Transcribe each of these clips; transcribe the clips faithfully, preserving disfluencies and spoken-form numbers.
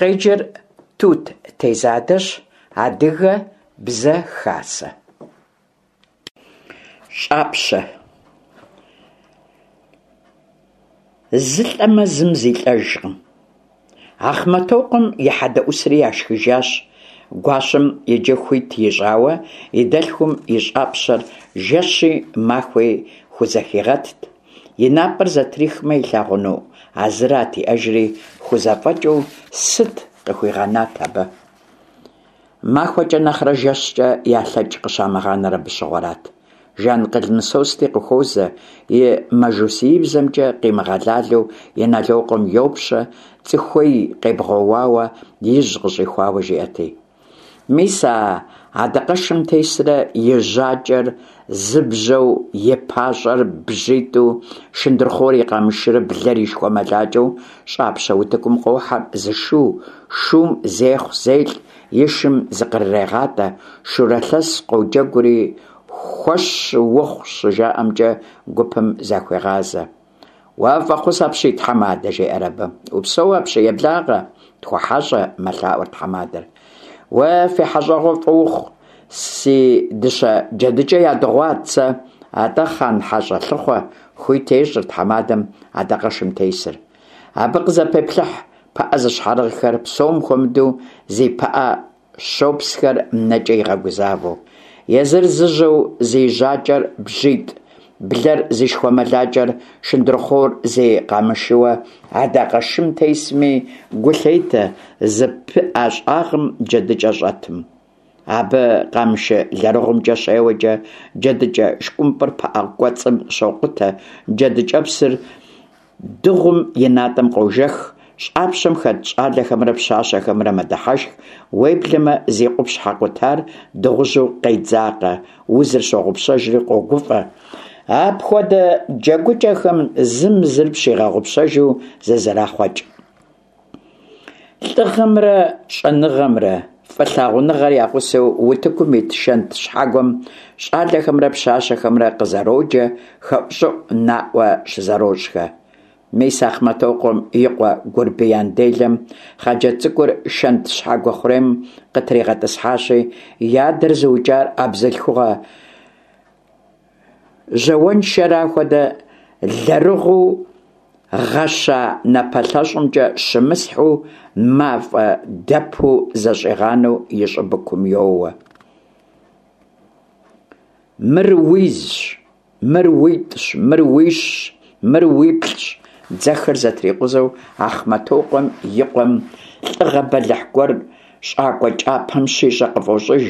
Къеджэр Тут Тезадэщ, Адыгэ Бзэ Хасэ. ЩӀапщэ. Зы лӀэмэ, зым зилӀэжкъым. Ахъмэтокъуэм и хьэдэӀусри яшхыжащ. Гуащэм иджы хуит ищӀауэ и дэлъхум и щӀапщэр жэщи махуи хузэхигъэтт. И напӀэр зэтрихмэ илъагъуну а зырат иӀэжри, хузэфӀэкӀыу сыт къыхуигъэнат абы? МахуэкӀэ нэхърэ жэщкӀэ ялъэкӀ къыщамыгъанэр абы щыгъуэрат. Жанкъыл Мысости къыхуозэ, и мажусиибзэмкӀэ къимыгъэлалэу Иналокъуэм йопщэ, цӀыхуей къебгъуэуауэ ижь къыщӀихуауэ жиӀэрти. Мис а адакъэшым тесрэ и жьакӀэр зы бжьэу, и пащӀэр бжьитӀу, шындырхъуор и къамышырэ блэр и шхуэмылакӀэу щӀапщэ утыкум къохьэр зы шу, шум зехъу-зелӀ, и шым зыкърырегъатӀэ, шурэ лъэс къоджэгури, «хуэщ ухъу» щыжаӀэмкӀэ гупым захуегъазэ. «Уэ фӀэхъус апщий, тхьэмадэ», – жеӀэр абы. «Упсэу апщий, еблагъэ, тхуэхьэщӀэ», – мэлъаӀуэр тхьэмадэр. «Уэ фи хьэщӀэгъуэ фӀы ухъу, си дыщэ джэдыкӀэ ядыгъуат сэ, атӀэ хъан хьэщӀэ лъыхъуэ», – хуит ещӀыр тхьэмадэм адакъэшым тесыр. Абы къызэпеплъыхь пыӀэ зыщхьэрыгъхэр, псом хуэмыдэу зи пыӀэ щопсхэр нэкӀэ игъэгузавэу. Езыр зыжьэу зи жьакӀэр бжьитӀ, блэр зи шхуэмылакӀэр, шындырхъуор зи къамышыуэ адакъэшым тесми гу лъетэ зы пыӀэ щӀагъым джэдыкӀэ щӀэтым. Абы къамышы лэрыгъумкӀэ щеуэкӀэ джэдыкӀэ шкӀумпӀыр пыӀэ кӀуэцӀым щокъутэ, джэдыкӀэпсыр дыгъум и натӀэм къожэх, щӀапщэм хэт щӀалэхэмрэ пщащэхэмрэ мэдыхьэшх, уеблэмэ зи къупщхьэ къутар дыгъужьу къедзакъэ узыр щогъупщэжри къогуфӀэ. Апхуэдэ джэгукӀэхэм зым зыр пщигъэгъупщэжу зызэрахъуэкӀ. ЛӀыгъэмрэ щӀэныгъэмрэ, фӀылъагъуныгъэр я гъусэу утыкум ит шэнт щхьэгуэм щӀалэхэмрэ пщащэхэмрэ къызэроджэ, хэӀущӀыӀу наӀуэ щызэрощӀхэ. Мис Ахъмэтокъуэм и къуэ Гурбиян делэм хъыджэбз цӀыкӀур шэнт щхьэгуэ хъурейм къытригъэтӀысхьащи, и адэр зыукӀар а бзылъхугъэ жьауэншэра хуэдэ лэрыгъуу гъэща напэлъэщӀымкӀэ щымысхьу, мафӀэ дэпу зэщӀигъанэу и щӀыбыкум йоуэ. Мыр уизщ, мыр уитӀщ, мыр уищщ, мыр уиплӀщ. Дзэхэр зэтрикъузэу Ахъмэтокъуэм и къуэм лӀыгъэ бэлыхь гуэр щӀакӀуэ кӀапэм щищӀэ къыфӀощӀыж,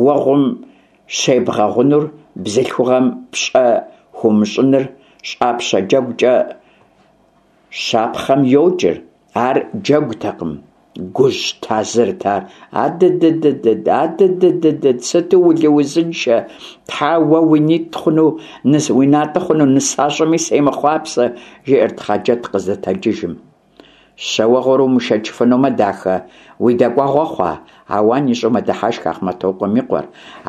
уэгъум щебгъэгъунур бзылъхугъэм пщӀэ хуумыщӀыныр щӀапщэ джэгукӀэ щапхъэм йокӀыр, ар джэгутэкъым, гужь тазырт ар. Адыдыдыд, адыдыдыд, сыту улыузыншэ, тхьэ, уэ уи нитӀ хъуну, уи натӀэ хъуну нысащӀэми семыхъуапсэ, жиӀэрт Хъаджэт къыздэтэджыжым. Щауэгъур умышэчыфынумэ, дахэ, уи дэкӀуэгъуэ хъуа? Ауан ищӀу мэдыхьэшх Ахъмэтокъуэм и къуэр,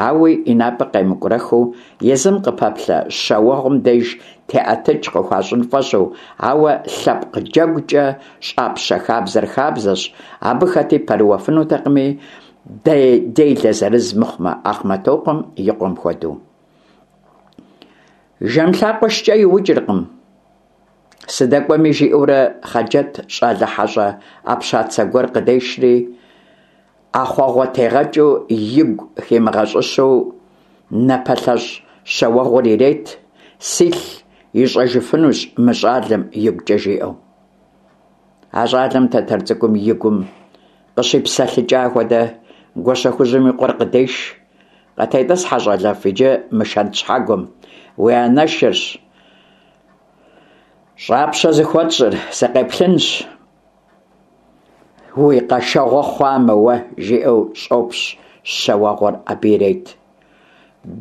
ауи и напӀэр къемыкӀурэхыу, езым къыпэплъэ щауэгъум деж теӀэтыкӀ къыхуащӀын фӀэщӀу, ауэ лъэпкъ джэгукӀэ щӀапщэ хабзэр хабзэщ, абы хэти пэрыуэфынутэкъыми, делэ зырыз мыхъумэ, Ахъмэтокъуэм и къуэм хуэдэу. Жэм лъакъуэ шкӀэ иукӀыркъым. СыдэкӀуэми жиӀэурэ Хъаджэт щӀалэ хьэщӀэ Ӏэпщацэ гуэр къыдешри, ӀэхъуэгъуэтегъэкӀыу игу химыгъэщӀыщэу напэлъэщӀ щауэгъур ирет, силъ ищӀэжыфынущ мы щӀалэм игукӀэ жиӀэу. А щӀалэм тэтэр цӀыкӀум и гум къыщипсэлъыкӀа хуэдэ Гуащэхужьым и къуэр къыдеш. КъытетӀысхьэ, щӀалэфӀ, иджы мы шэнт щхьэгуэм, уи анэшырщ щӀапщэ зыхуэтщӀыр, сыкъеплъынщ, уи къэшэгъуэ хъуамэ уэ, жиӀэу щӀопщ щауэгъур абы ирет.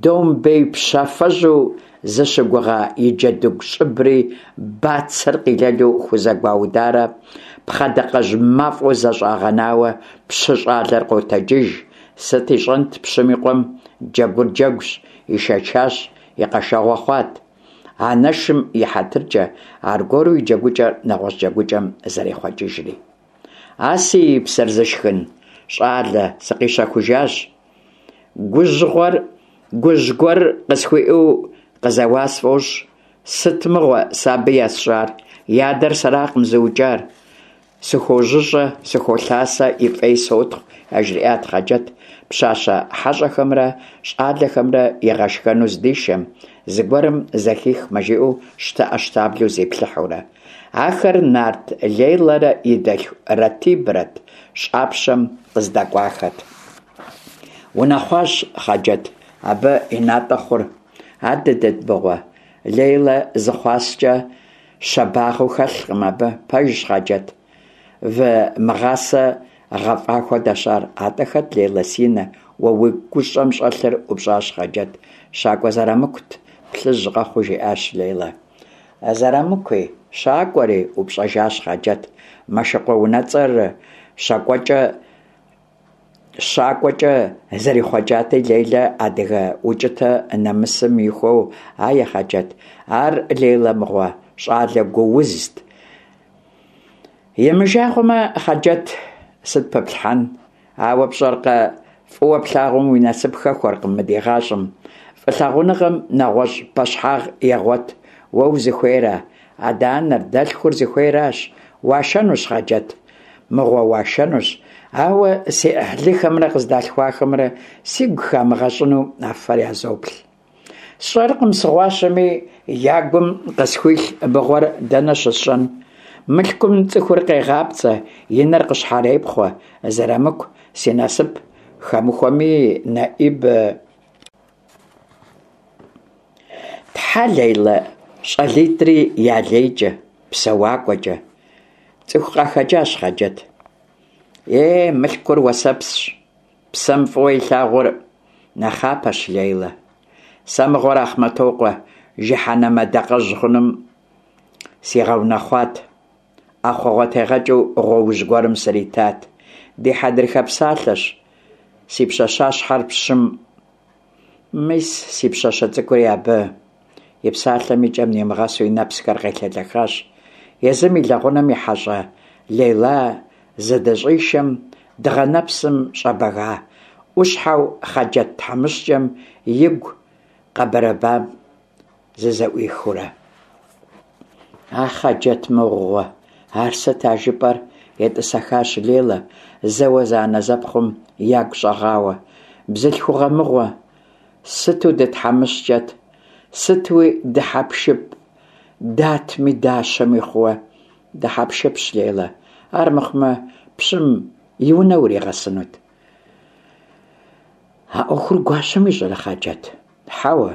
Домбей пщафэжьу зыщыгугъа и джэдыгу щӀыбри бацэр къилэлу хузэгуаударэ пхъэдакъэжь мафӀэу зэщӀагъэнауэ пщы щӀалэр къотэджыж. Сыт ищӀэнт пщым и къуэм, джэгур джэгущ, ишэчащ, и къэшэгъуэ хъуат. Анэшым и хьэтыркӀэ аргуэру и джэгукӀэр нэгъуэщӀ джэгукӀэм зэрехъуэкӀыжри. А си псэр зышхын, щӀалэ, сыкъищэхужащ. Гужь гуэр къысхуиӀэу къызэуа сфӀощӀ. Сыт мыгъуэ сэ абы есщӀар? И адэр сэракъым зыукӀар. СыхуожьыщӀэ, сыхуолъасэ, и фӀей сотхъу, яжриӀат Хъаджэт, пщащэ хьэщӀэхэмрэ щӀалэхэмрэ игъэшхэну здишэм, зыгуэрым зэхихмэ жиӀэу щтэӀэщтаблэу зиплъыхьурэ. Ахэр нарт Лейлэрэ и дэлъху Ратибрэт, щӀапщэм къыздэкӀуахэт. Унэхъуащ, Хъаджэт, абы и натӀэ хъур. Адыдыд мыгъуэ, Лейлэ зы хъуаскӀэ щабагъэу хэлъкъым абы. Пэжщ, Хъаджэт, вы мыгъасэ гъэфӀа хуэдэщ ар. АтӀэ хэт, Лейла, си нэ, уэ уи гущӀэм щӀэлъыр? ӀупщӀащ Хъаджэт. ЩакӀуэ Зэрамыкут, плъыжь къэхъуу жиӀащ Лейла. Зэрамыкуи? ЩакӀуэри? ӀупщӀэжащ Хъаджэт. Мэшыкъуэ унэцӀэр щакӀуэкӀэ щакӀуэкӀэ зэрихъуэкӀати, Лейлэ адыгэ укӀытэ нэмысым ихуэу, «Ае, Хъаджэт, ар, Лейла мыгъуэ, щӀалэ гуузт». Имыжагъуэмэ, Хъаджэт, сыт пэплъхьэн? Ауэ пщӀэркъэ, фӀыуэ плъагъум уи насып хэхуэркъым мы ди гъащӀэм. ФӀылъагъуныгъэм нэгъуэщӀ пӀэщхьагъ егъуэт. Уэ узыхуейра? Адэ-анэр, дэлъхур зыхуейращ. Уашэнущ, Хъаджэт, мыгъуэ, уашэнущ. Ауэ си Ӏыхьлыхэмрэ къыздалъхуахэмрэ сигу хамыгъэщӀыну а фэр язоплъ. СщӀэркъым, сыгъуащэми, я гум къысхуилъ мыгъуэр дэнэ щысщӀэн? Мылъкум цӀыхур къегъапцӀэ, и нэр къыщхьэрепхъуэ. Зэрамыку си насып хэмыхуэми, НэӀиб... Тхьэ, Лейлэ, щӀалитӀри я лейкӀэ, псэуакӀуэкӀэ. ЦӀыху къахэкӀащ, Хъаджэт. Е мылъкур уэсэпсщ, псэм фӀыуэ илъагъур нэхъапэщ, Лейлэ. Сэ мыгъуэр Ахъмэтокъуэ жыхьэнэмэ дакъэжь хъуным сигъэунэхъуат. ӀэхъуэгъуэтегъэкӀыу гъуоужь гуэрым сритат. Ди хьэдрыхэ псалъэщ, си пщащащхьэр пщым. Мис си пщащэ цӀыкӀури абы. И псалъэм и кӀэм нимыгъэсу и нэпсхэр къелъэлъэхащ. Езым и лэгъунэм и хьэщӀэ Лейла зыдыщӀишэм, дыгъэ нэпсым щӀэбэга Ӏущхьэу Хъаджэт тхьэмыщкӀэм игу къэбэрэбам зызэӀуихыурэ. А Хъаджэт мыгъуэ, ар сыт а жыпӀэр? ЕтӀысэхащ Лейла, зэуэ зэанэзэпхъум ягу щӀэгъауэ. Бзылъхугъэ мыгъуэ, сыту дытхьэмыщкӀэт, сытуи дыхьэпшып, датми дащэми хъууэ. Дыхьэпшыпщ, Лейла, ар мыхъумэ пщым и унэ уригъэсынут. А Ӏуэхур гуащэм ищӀэрэ, Хъаджэт? Хьэуэ.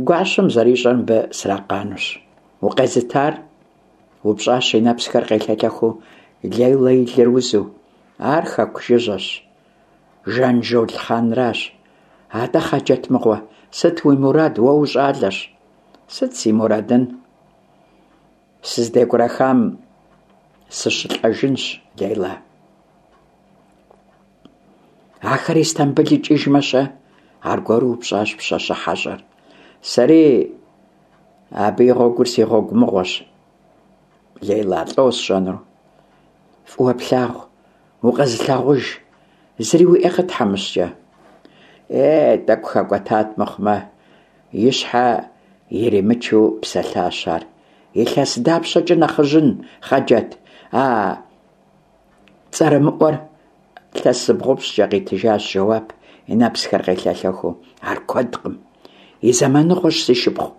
Гуащэм зэрищӀэр мыбы сракъанущ. Укъезытар? УпщӀащ и нэпсхэр къелъэлъэхыу Лейла и лыр узу. Ар хэку жыжьэщ. Жанжол хъанращ. АтӀэ, Хъаджэт мыгъуэ, сыт уи мурад, уэ ущӀалэщ? Сыт си мурадын? СыздекӀурэхам сыщылӀэжынщ, Лейла. Ахэр Истамбыл икӀыжмэ-щэ? Аргуэру упщӀащ пщащэ хьэщӀэр. Сэри абы и гъуэгур си гъуэгу мыгъуэщ, Лейла, лӀо сщӀэнур? ФӀыуэ плъагъу, укъэзылъагъуж, зыри уиӀэкъэ, тхьэмыщкӀэ? Е, тӀэкӀу хэкӀуэтат мыхъумэ, и щхьэ иримычу псэлъащ ар. Илъэс дапщэкӀэ нэхъыжьын, Хъаджэт, а цӀэрымыӀуэр? Илъэс зыбгъупщӀкӀэ, къитыжащ жэуап, и нэпсхэр къелъэлъэхыу. Ар куэдкъым. И зэманыгъуэщ, си шыпхъу,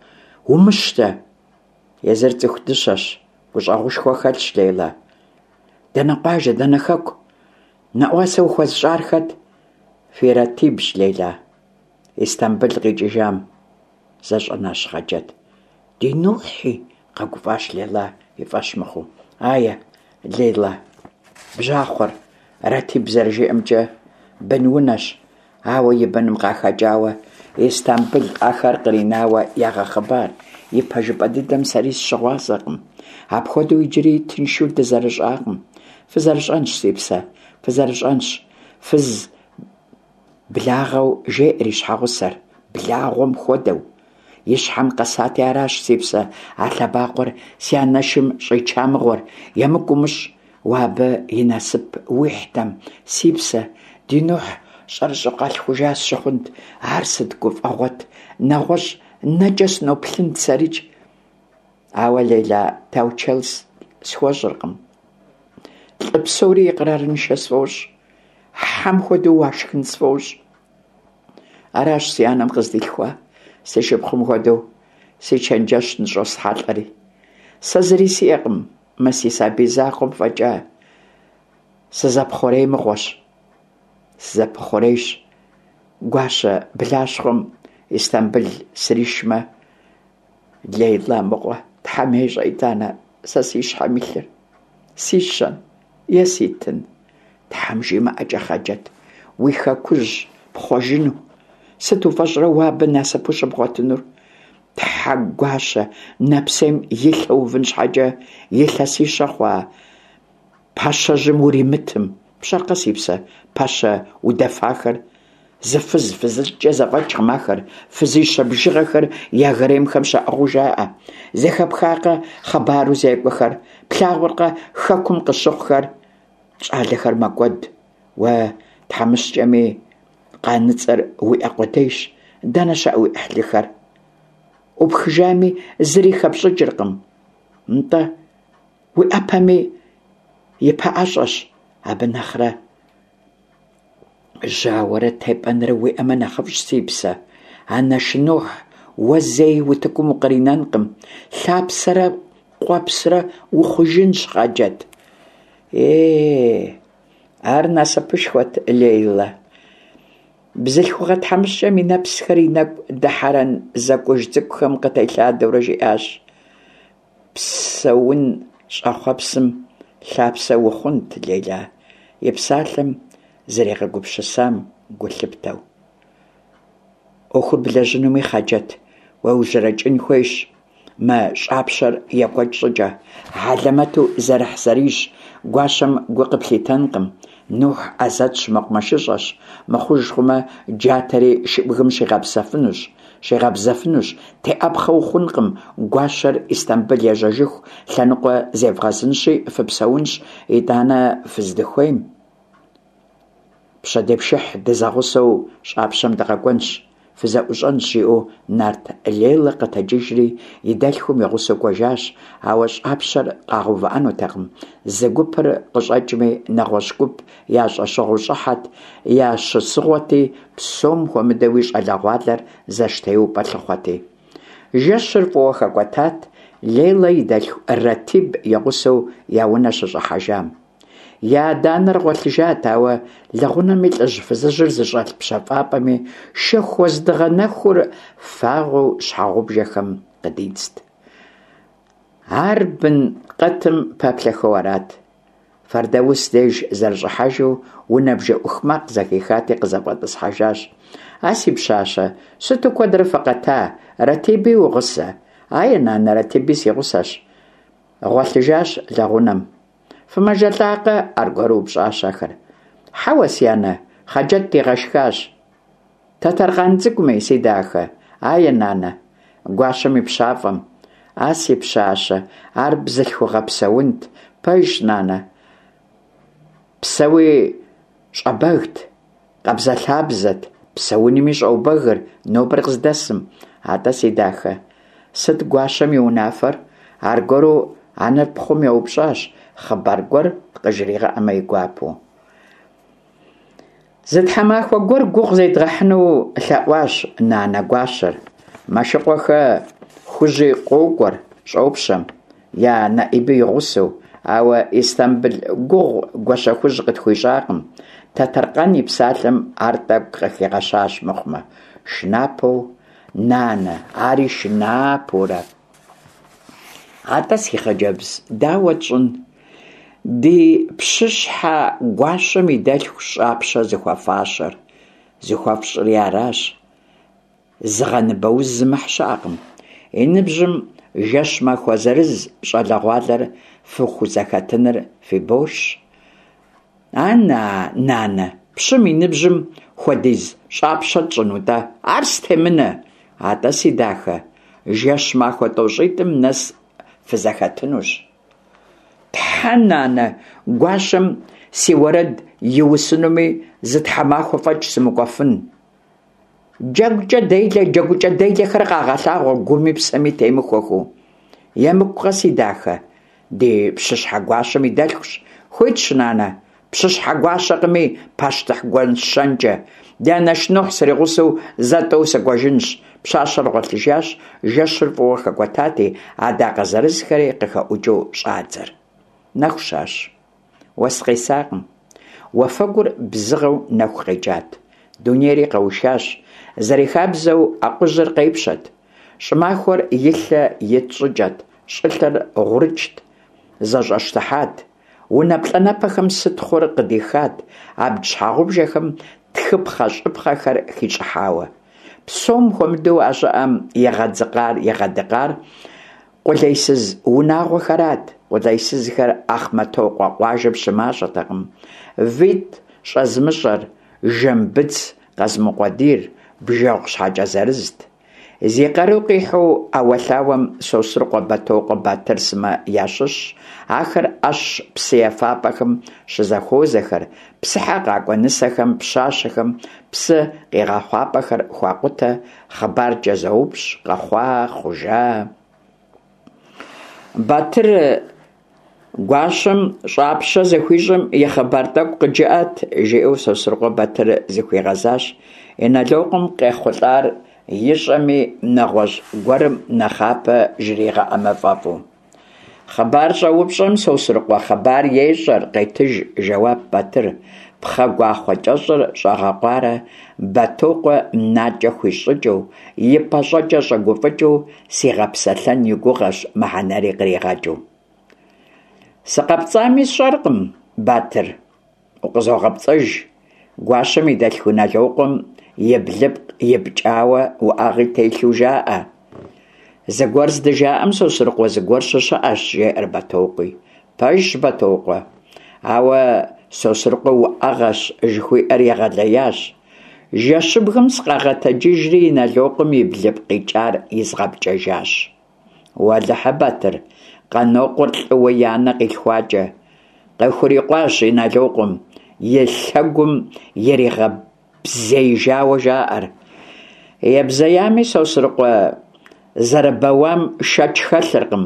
умыщтэ. Езыр цӀыху дыщэщ, гущӀэгъушхуэ хэлъщ, Лейла. Дэнэ къуажэ, дэнэ хэку? НэӀуасэ ухуэзыщӀар хэт? Фи Ратибщ, Лейла. Истамбыл къикӀыжам, зэщӀэнащ Хъаджэт. Ди Нухьи, къэгуфӀащ Лейла и фӀэщ мыхъуу. Ае, Лейла, бжьахъуэр, Ратиб зэрыжиӀэмкӀэ, бынунэщ, ауэ и быным къахэкӀауэ Истамбыл ахэр къринауэ ягъэхъыбар. И пэжыпӀэ дыдэм сэри сыщыгъуазэкъым. Апхуэдэу иджыри тыншу дызэрыщӀакъым. ФызэрыщӀэнщ, си псэ, фызэрыщӀэнщ. Фыз благъэу жеӀэр и щхьэгъусэр, благъуэм хуэдэу. И щхьэм къэсати аращ, си псэ, а лъэбакъуэр си анэшым щӀича мыгъуэр. ЕмыкӀу умыщӀ, Уэ абы и насып уихьтэм, си псэ, ди Нухь щӀэрыщӀэу къалъхужа сщыхъунт, ар сыт гуфӀэгъуэт, нэгъуэщӀ нэкӀэ сыноплъынт сэрикӀ. Ауэ Лейла таучэл схуэщӀыркъым. ЛӀы псори икърарыншэ сфӀощӀ, хьэм хуэдэу уашхын сфӀощӀ. Аращ си анэм къыздилъхуа, си шыпхъум хуэдэу си чэнджэщ ныщӀосхьэлӀэри. Сэ зыри сиӀэкъым мы си сабий закъуэм фӀэкӀа. Сызэпхъурей мыгъуэщ. Сызэпыхъурейщ. Гуащэ блащхъуэм Истамбыл сришмэ, Лейла мыгъуэ, Тхьэм ещӀэ итӀанэ сэ си щхьэм илъыр. Сищэн е ситын? Тхьэм жимыӀэкӀэ, Хъаджэт, уи хэкужь пхъуэжыну. Сыт уфӀэщӀрэ уэ абы насыпу щыбгъуэтынур? Тхьэ гуащэ нэпсейм и лъэ увын щхьэкӀэ илъэсищэ хъуа пащэжьым уримытым. ПщӀэркъэ, си псэ, пащэ удэфахэр? Зы фыз фызылӀкӀэ зэфӀэкӀкъым ахэр, фызищэ бжыгъэхэр я гаремхэм щаӀыгъыу жаӀэ. Зэхэпхакъэ хъыбару зекӀуэхэр? Плъагъуркъэ хэкум къыщыхъухэр? ЩӀалэхэр мэкӀуэд. Уэ тхьэмыщкӀэми къаныцӀэр уиӀэ къудейщ. Дэнэ щыӀэ уи Ӏыхьлыхэр? Ӏупхыжами, зыри хэпщӀыкӀыркъым. НтӀэ, уи Ӏэпэми и пэӀэщӀэщ абы нэхърэ. Жьауэрэ тепӀэнрэ уиӀэмэ нэхъыфӀщ, си псэ. Анэш Нухь уэ зэи утыкум укъринэнкъым. Лъапсэрэ къуэпсрэ ухъужынщ, Хъаджэт. Е, ар насыпышхуэт, Лейла. Бзылъхугъэ тхьэмыщкӀэм и нэпсхэр и нэкӀу дыхьэрэн зэкӀуж цӀыкӀухэм къытелъадэурэ жиӀащ: Псэун щӀэхъуэпсым лъапсэ ухъунт, Лейла, и псалъэм зэригъэгупсысам гу лъыптэу. Ӏуэхур блэжьынуми, Хъаджэт, уеужьэрэкӀын хуейщ мы щӀапщэр екӀуэкӀ щӀыкӀэ. Хьэлэмэту зэрыхьзэрийщ, гуащэм гу къыплъитэнкъым. Нухь Ӏэзэтщ, мэкъумэшыщӀэщ, мыхъуж хъумэ, джатэри шыбгым щигъэпсэфынущ, щигъэбзэфынущ. ТеӀэпхъэ ухъункъым, гуащэр Истамбыл ежьэжыху лъэныкъуэ зевгъэзынщи, фыпсэунщ, итӀанэ фыздыхуейм. Пщэдейпшыхь дызэгъусэу щӀапщэм дыкъэкӀуэнщ, фызэӀущӀэнщ, жиӀэу нарт Лейла къэтэджыжри и дэлъхум и гъусэу кӀуэжащ, ауэ щӀапщэр къагъэувыӀэнутэкъым. Зы гупыр къыщӀэкӀми, нэгъуэщӀ гуп я щӀэщыгъуэу щӀыхьэт, я щысыгъуэти, псом хуэмыдэуи щӀалэгъуалэр зэштеупӀэ лъыхъуэти. Жэщыр фӀыуэ хэкӀуэтат, Лейла и дэлъху Ратиб и гъусэу я унэ щыщӀыхьэжам. Я адэ-анэр гъуэлъыжат, ауэ лэгъунэми лӀыжь-фызыжьыр зыщӀэлъ пщэфӀапӀэми шэху уэздыгъэ нэхур фагъуэу щхьэгъубжэхэм къыдидзт. Ар бын къэтым пэплъэхэу арат. Фэрдаус деж зэрыщӀыхьэжу унэ бжэӀух макъ зэхихати, къызэфӀэтӀысхьэжащ. А си пщащэ, сыту куэдрэ фыкъэта? Ратиби угъусэ? Ае, нанэ, Ратиби си гъусэщ. Гъуэлъыжащ лэгъунэм. ФымэжэлӀакъэ? Аргуэру упщӀащ ахэр. Хьэуэ, си анэ, Хъаджэт дигъэшхащ. Тэтэркъан цӀыкӀуми, си дахэ. Ае, нанэ. Гуащэм и пщафӀэм. А си пщащэ, ар бзылъхугъэ псэунт. Пэжщ, нанэ. Псэуи щӀэбэгт, къабзэлъабзэт, псэунми щӀэубэгыр нобэр къыздэсым. АтӀэ, си дахэ, сыт гуащэм и унафэр? Аргуэру анэр пхъум еупщӀащ, хъыбар гуэр къыжригъэӀэмэ и гуапэу. Зы тхьэмахуэ гуэр гугъу зедгъэхьыну лъэӀуащ нанэ гуащэр. Мэшыкъуэхэ Хужьи къокӀуэр щӀопщэм, я нэӀиби и гъусэу, ауэ Истамбыл гугъу Гуащэхужь къытхуищӀакъым. Тэтэркъан и псалъэм ар тӀэкӀу къыхигъэщащ мыхъумэ. Шынапэу, нанэ, ари шынапэурэ. Атӏэ, си хъыджэбз, дауэ тщӀын? Ди пщыщхьэ гуащэм и дэлъху щӀапщэ зыхуэфащэр, зыхуэфщӀри аращ. Зыгъэныбэуз зымыхь щыӀэкъым. И ныбжьым жэщ-махуэ зырыз щӀалэгъуалэр фыхузэхэтыныр фи боршщ. Ана, нанэ, пщым и ныбжьым хуэдиз щӀапщэ тщӀыну-тӀэ? Ар стемынэ! Атӏэ, си дахэ, жэщ-махуэ тӀощӀитӀым нэс фызэхэтынущ. Тхьэ, нанэ, гуащэм си уэрэд иусынуми, зы тхьэмахуэ фӀэкӀ сымыкӀуэфын. ДжэгукӀэ делэ, джэгукӀэ делэхэр къагъэлъагъуэ гуми псэми темыхуэхэу. ЕмыкӀукъэ, си дахэ, ди пщыщхьэ гуащэм и дэлъхущ. Хуитщ, нанэ, пщыщхьэ гуащэкъыми, пащтыхь гуащэнкӀэ. Ди анэш Нухь сригъусэу зэ-тӀэу сыкӀуэжынщ. Пщащэр гъуэлъыжащ, жэщыр фӀыуэ хэкӀуэтати, адакъэ зырызхэри къыхэӀукӀыу щӀадзэр. Нэху щащ. Уэс къесакъым. Уафэгур бзыгъэу нэху къекӀат. Дунейри къэушащ. Зэрихабзэу акъужьыр къепщэт. ЩӀымахуэр и лъэ ит щӀыкӀэт, щӀылъэр гъурычт, зэщӀэщтыхьат. Унэ плӀанэпэхэм сытхъур къыдихат, абдж щхьэгъубжэхэм тхыпхъэщӀыпхъэхэр хищӀыхьауэ. Псом хуэмыдэу а щӀыӀэм игъэдзыкъар, игъэдыкъар къулейсыз унагъуэхэрат. Къулейсызхэр Ахъмэтокъуэ къуажэм щымащӀэтэкъым. ВитӀ щӀэзмыщӀэр, жэм быдз къэзымукъуэдийр бжэгъу щхьэкӀэ зырызт. Зи къару къихьу Ӏэуэлъауэм Сосрыкъуэ, Бэтокъуэ, Батыр сымэ ящыщщ. Ахэр Ӏэщ псы ефапӀэхэм щызэхуозэхэр, псыхьэ къакӀуэ нысэхэм, пщащэхэм псы къигъэхъуапӀэхэр хуакъутэ, хъыбаркӀэ зоупщӀ, къэхъуа, хъужа. Батыр гуащэм щӀапщэ зыхуищӀым и хъыбар тӀэкӀу къыджыӀэт, жиӀэу Сосрыкъуэ Батыр зыхуигъэзащ, Иналокъуэм къехъулӀар ищӀэми, нэгъуэщӀ гуэрым нэхъапэ жригъэӀэмэ фӀэфӀу. Хъыбар щӀэупщӀэм Сосрыкъуэ хъыбар ещӀэр, къетыж жэуап Батыр, пхъэ гуахъуэ кӀэщӀыр щӀэгъэкъуарэ Бэтокъуэ накӀэ хуищӀ щӀыкӀэу, и пащӀэкӀэ щӀэгуфӀыкӀыу, сигъэпсэлъэн и гугъэщ мыхьэнэри къригъэкӀыу. СыкъэпцӀами сщӀэркъым, Батыр, укъызогъэпцӀэж. Гуащэм и дэлъху Иналокъуэм и блыпкъ ипкӀауэ уӀэгъи телъу жаӀэ. Зыгуэр здыжаӀэм, Сосрыкъуэ, зыгуэр щыщыӀэщ, жеӀэр Бэтокъуи. Пэжщ, Бэтокъуэ, ауэ Сосрыкъуэ уӀэгъэщ жыхуиӀэр егъэлеящ. Жэщыбгым сыкъагъэтэджыжри Иналокъуэм и блыпкъ икӀар изгъэпкӀэжащ. Уэлэхьэ, Батыр, Къанокъуэр лӀыуэ и анэ къилъхуакӀэ. Къыхурикъуащ Иналокъуэм, и лъэгум иригъэбзеижауэ жаӀэр. Ебзеями, Сосрыкъуэ зэрыбэуам шэч хэлъыркъым,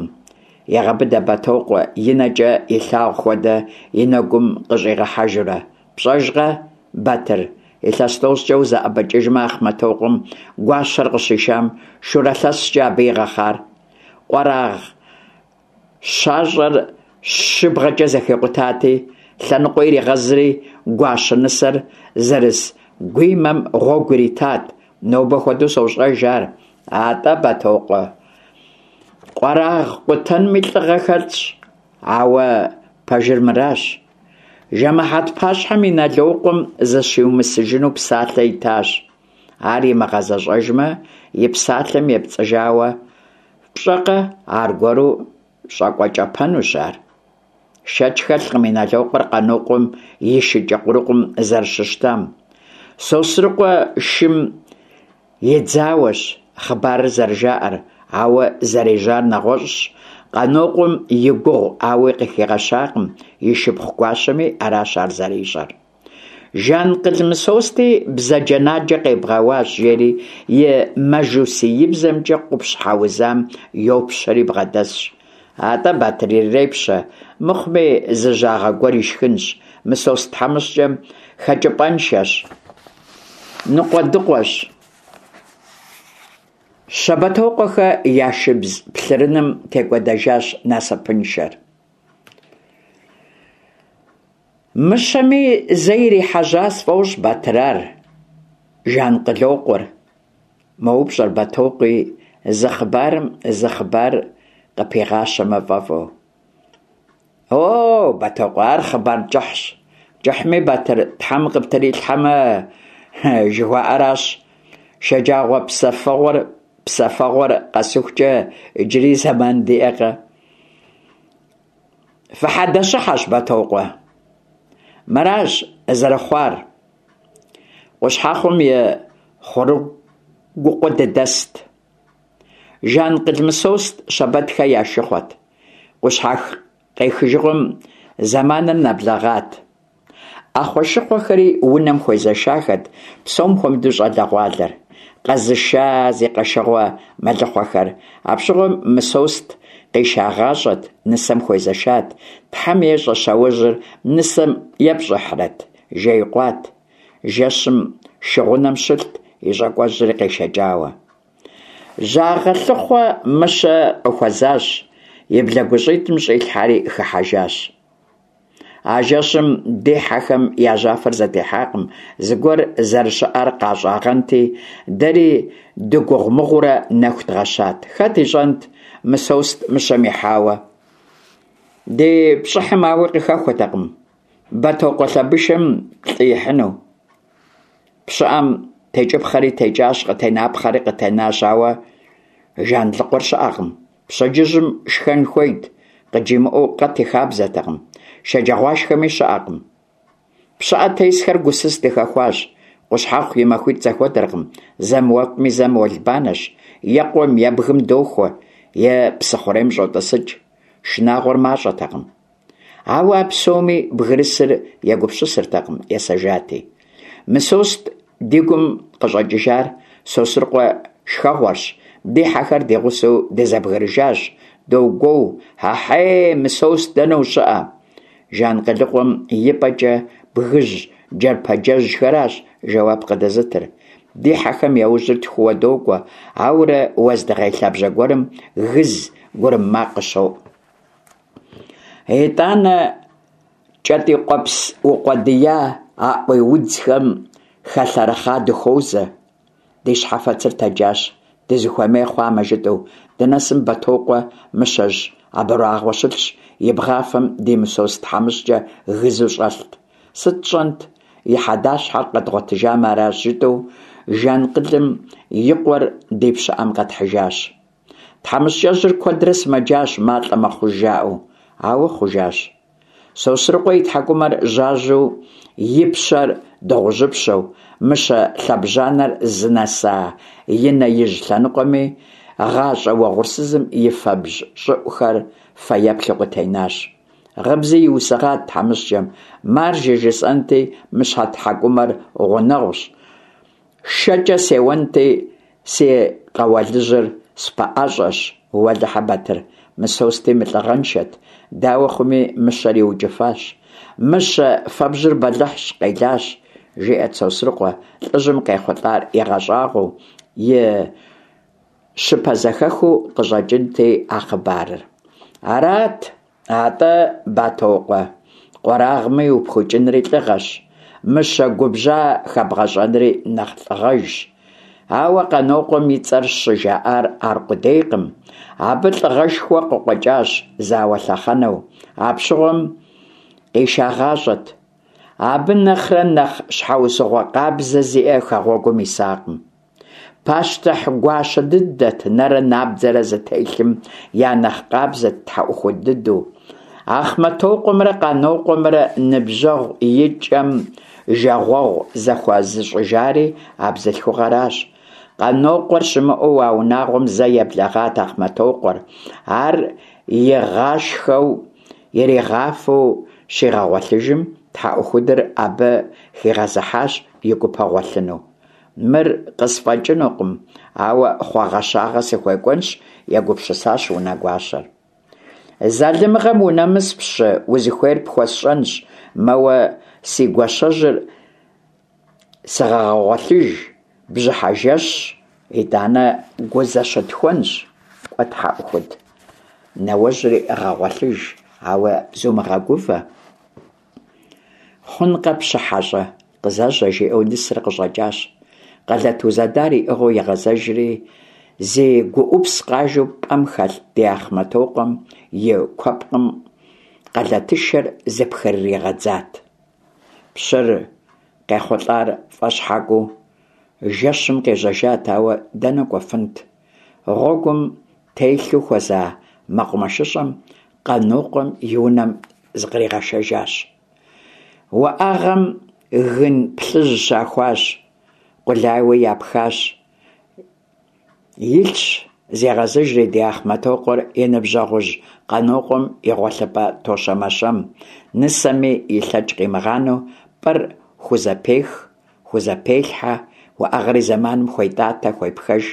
егъэбыдэ Бэтокъуэ, и нэкӀэ илъагъу хуэдэ и нэгум къыщӀигъэхьэжурэ. ПщӀэжкъэ, Батыр, илъэс тӀощӀкӀэ узэӀэбэкӀыжмэ, Ахъмэтокъуэм гуащэр къыщишам шурэ лъэскӀэ абы игъэхъар? Къуэрагъ щащӀэр щыбгъэкӀэ зэхикъутати, лъэныкъуэ иригъэзри, гуащэ нысэр зэрыс гуимэм гъуэгу иритат. Нобэ хуэдэу сощӀэж ар. АтӀэ, Бэтокъуэ, къуэрагъ къутэнми лӀыгъэ хэлъщ, ауэ пэжыр мыращ. Жэмыхьэт пащхьэм Иналокъуэм зыщиумысыжыну псалъэ итащ. Ар имыгъэзэщӀэжмэ, и псалъэм епцӀыжауэ пщӀэкъэ, аргуэру щӀэкӀуэкӀэпэнущ ар. Шэч хэлъкъым Иналокъуэр Къанокъуэм и шыкӀэ къурыкъум зэрыщыщтам. Сосрыкъуэ шым идзауэщ хъыбарыр зэрыжаӀэр, ауэ зэрежьар нэгъуэщӀщ. Къанокъуэм и гугъу ауи къыхигъэщакъым, и шыпхъу гуащэми аращ ар зэрищӀэр. Жанкъыл Мысости бзаджэнаджэ къебгъэуащ, жери и мажусиибзэмкӀэ къупщхьэ узам йопщэри бгъэдэсщ. АтӀэ, Батыр, ирепщэ, мыхъуми зы жьагъэ гуэр ишхынщ. Мысост тхьэмыщкӀэм хэкӀыпӀэншэщ, ныкъуэдыкъуэщ. Щэбэтокъуэхэ я шыбз плъырыным текӀуэдэжащ насыпыншэр. Мыщэми зэ ирихьэжьа сфӀощӀ, Батыр, ар, Жанкъылокъуэр, мэупщӀэр Бэтокъуи, зы хъыбарым зы хъыбар къыпигъащэмэ фӀэфӀу. О, Бэтокъуэ, ар хъыбар кӀыхьщ. КӀыхьми, Батыр, Тхьэм къыптрилъхьэмэ, жыхуаӀэращ. Шэджагъуэ псэфэгъуэр псэфэгъуэр къэсыхукӀэ иджыри зэман диӀэкъэ? Фыхьэдэщыхьэщ, Бэтокъуэ. Мыращ зэрыхъуар. Къущхьэхъум и Хъурыгукъуэ дыдэст. Жанкъыл Мысост Щэбэтхэ я шыхъуэт. къехыжыгъуэм зэманыр нэблэгъат. Ӏэхъуэшыхъуэхэри унэм хуезэшахэт, псом хуэмыдэу щӏалэгъуалэр, къэзыша зи къэшэгъуэ мэлыхъуэхэр. Апщыгъуэм Мысост къишагъащӏэт, нысэм хуезэшат. Тхьэм ещӏэ, щауэжьыр нысэм епщӏыхьрэт, жеикъуат. Жэщым шыгъунэм щылът, и щӏакӏуэжьри къешэкӏауэ. Жьагъэ лъыхъуэ Мыщэ къыхуэзащ, и блэгущӏитӏым щӏилъхьэри хыхьэжащ. А жэщым ди хьэхэм я жьафэр зэтехьакъым, зыгуэр зэрыщыӏэр къащӏагъэнти, дэри дыгугъумыгъуурэ нэху дгъэщат. Хэт ищӏэнт Мысост мыщэм ихьауэ? Ди пщӏыхьым ауи къыхэхуэтэкъым Бэтокъуэ лъэбышэм лӏы ихьыну. Пщыӏэм текӏыпхъэри текӏащ, къытенапхъэри къытенащ, ауэ Жанлъыкъуэр щыӏэкъым. Пщэдджыжьым шхэн хуейт, къыджимыӏэу къэт и хабзэтэкъым. Шэджагъуашхэми щыӏэкъым. Пщыӏэ тесхэр гусыс дыхэхуащ. Къущхьэхъу и махуитӏ зэхуэдэркъым, зэм уэфӏми, зэм уэлбанэщ, е къуэм, е бгым дохуэ, е псыхъурейм щӏотӏысыкӏ. Шынагъуэр мащӏэтэкъым. Ауэ а псоми бгырысыр егупсысыртэкъым, есэжати. Мысост ди гум къыщӏэкӏыжар Сосрыкъуэ шхэгъуэрщ. Ди хьэхэр ди гъусэу дызэбгрыжащ. Догуоу: «Ахьей, Мысост, дэнэ ущыӏэ?» Жанкъылыкъуэм и пӏэкӏэ бгыжь джэрпэджэжхэращ жэуап къыдэзытыр. Ди хьэхэм я ужьыр тхууэ докӏуэ, ауэрэ уэздыгъей лъабжьэ гуэрым гыз, гурым макъ къыщоӏу. Итӏанэ кӏэтӏийкъуэпс укъуэдия аӏуей удзхэм хэлъэрыхъа дыхуозэ. Ди щхьэфэцыр тэджащ, дызыхуэмей хъуамэ жытӏэу. Дынэсым Бэтокъуэ мыщэжь абрагъуэ щылъщ, и бгъафэм ди Мысост тхьэмыщкӏэ гызу щӏэлът. Сыт тщӏэнт, и хьэдащхьэр къэдгъуэтыжамэ аращ, жытӏэу Жанкъылым и къуэр ди пщыӏэм къэтхьыжащ. Тхьэмыщкӏэжьыр куэдрэ сымэджащ, малӏэ мэхъуж жаӏэу, ауэ хъужащ. Сосрыкъуэ и тхьэкӏумэр жьажьэу, и пщэр дыгъужьыпщэу, мыщэ лъэбжьанэр зынэса и нэ ижь лъэныкъуэми гъащӏэ уэгъурсызым и фэбжь щӏыӏухэр фэеплъу къытенащ. Гъыбзи иусыгъат тхьэмыщкӏэм: «Маржэ жысӏэнти, мыщэ тхьэкӏумэр гъунэгъущ, шэкӏэ сеуэнти, си къэуалыжьыр спэӏэщӏэщ». Уэлэхьэ, Батыр, Мысости мылӏыгъэншэт, дауэ хъуми мыщэр иукӏыфащ. Мыщэ фэбжьыр бэлыхьщ, къелащ, жиӏэрт Сосрыкъуэ, лӏыжьым къехъулӏар игъэщӏагъуэу, и щыпэзэхэхыу къыщӏэкӏынти а хъыбарыр. Арат, атӏэ, Бэтокъуэ, къуэрагъми упхыкӏынри лӏыгъэщ, мыщэ губжьа хэбгъэщӏэнри нэхъ лӏыгъэжщ. Ауэ Къанокъуэм и цӏэр щыжаӏар аркъудейкъым. Абы лӏыгъэшхуэ къыкъуэкӏащ зауэ лъэхъэнэу. Апщыгъуэм къишагъащӏэт. Абы нэхърэ нэхъ щхьэусыгъуэ къабзэ зиӏэ хэгъуэгум исакъым. Пащтыхь гуащэ дыдэт, нэрэ набдзэрэ зытелъым я нэхъ къабзэт тхьэӏухуд дыдэу. Ахъмэтокъуэмрэ Къанокъуэмрэ ныбжьэгъу и кӏэм жагъуэгъу зэхуэзыщӏыжари а бзылъхугъэращ. Къанокъуэр щымыӏэу а унагъуэм зэ еблэгъат Ахъмэтокъуэр. Ар игъашхэу, иригъафэу щигъэгъуэлъыжым, тхьэӏухудыр абы хигъэзыхьащ и гупэ гъуэлъыну. Мыр къысфӏэкӏынукъым, ауэ хъуэгъэщагъэ сыхуекӏуэнщ, егупсысащ унэгуащэр. Залымыгъэм унэмыс, пщы, узыхуейр пхуэсщӏэнщ, мэуэ си гуащэжьыр сыгъэгъуэлъыж, бжьыхьэ жэщщ, итӏанэ гу зэщытхуэнщ. Кӏуэ, тхьэӏухуд, нэуэжьри гъэгъуэлъыж, ауэ зумыгъэгувэ. Хъункъэ, пщы хьэщӏэ, къызэжьэ, жиӏэу нысэр къыщӏэкӏащ. Къэлэт узэдар иӏыгъыу игъэзэжри, зи гуӏупс къажэу пӏэм хэлъ ди Ахъмэтокъуэм и куэпкъым къэлэтышэр зыпхрыригъэдзат. Пщыр къехъулӏар фӏэщхьэкӏуэу жэщым къежьэжат, ауэ дэнэ кӏуэфынт? Гъуэгум телъу хуэза мэкъумэшыщӏэм Къанокъуэм и унэм зыкъригъэшэжащ. Уӏэгъэм гын плъыжь щахуащ, къулайуэ япхащ. Илъщ Зегъэзыжри ди Ахъмэтокъуэр и ныбжьэгъужь Къанокъуэм и гъуэлъыпӏэ тощэмэщэм, нысэми и лъэкӏ къимыгъанэу пӏэр хузэпех, хузэпелъхьэ, уӏэгъэр и зэманым хуетӏатэ, хуепхэж,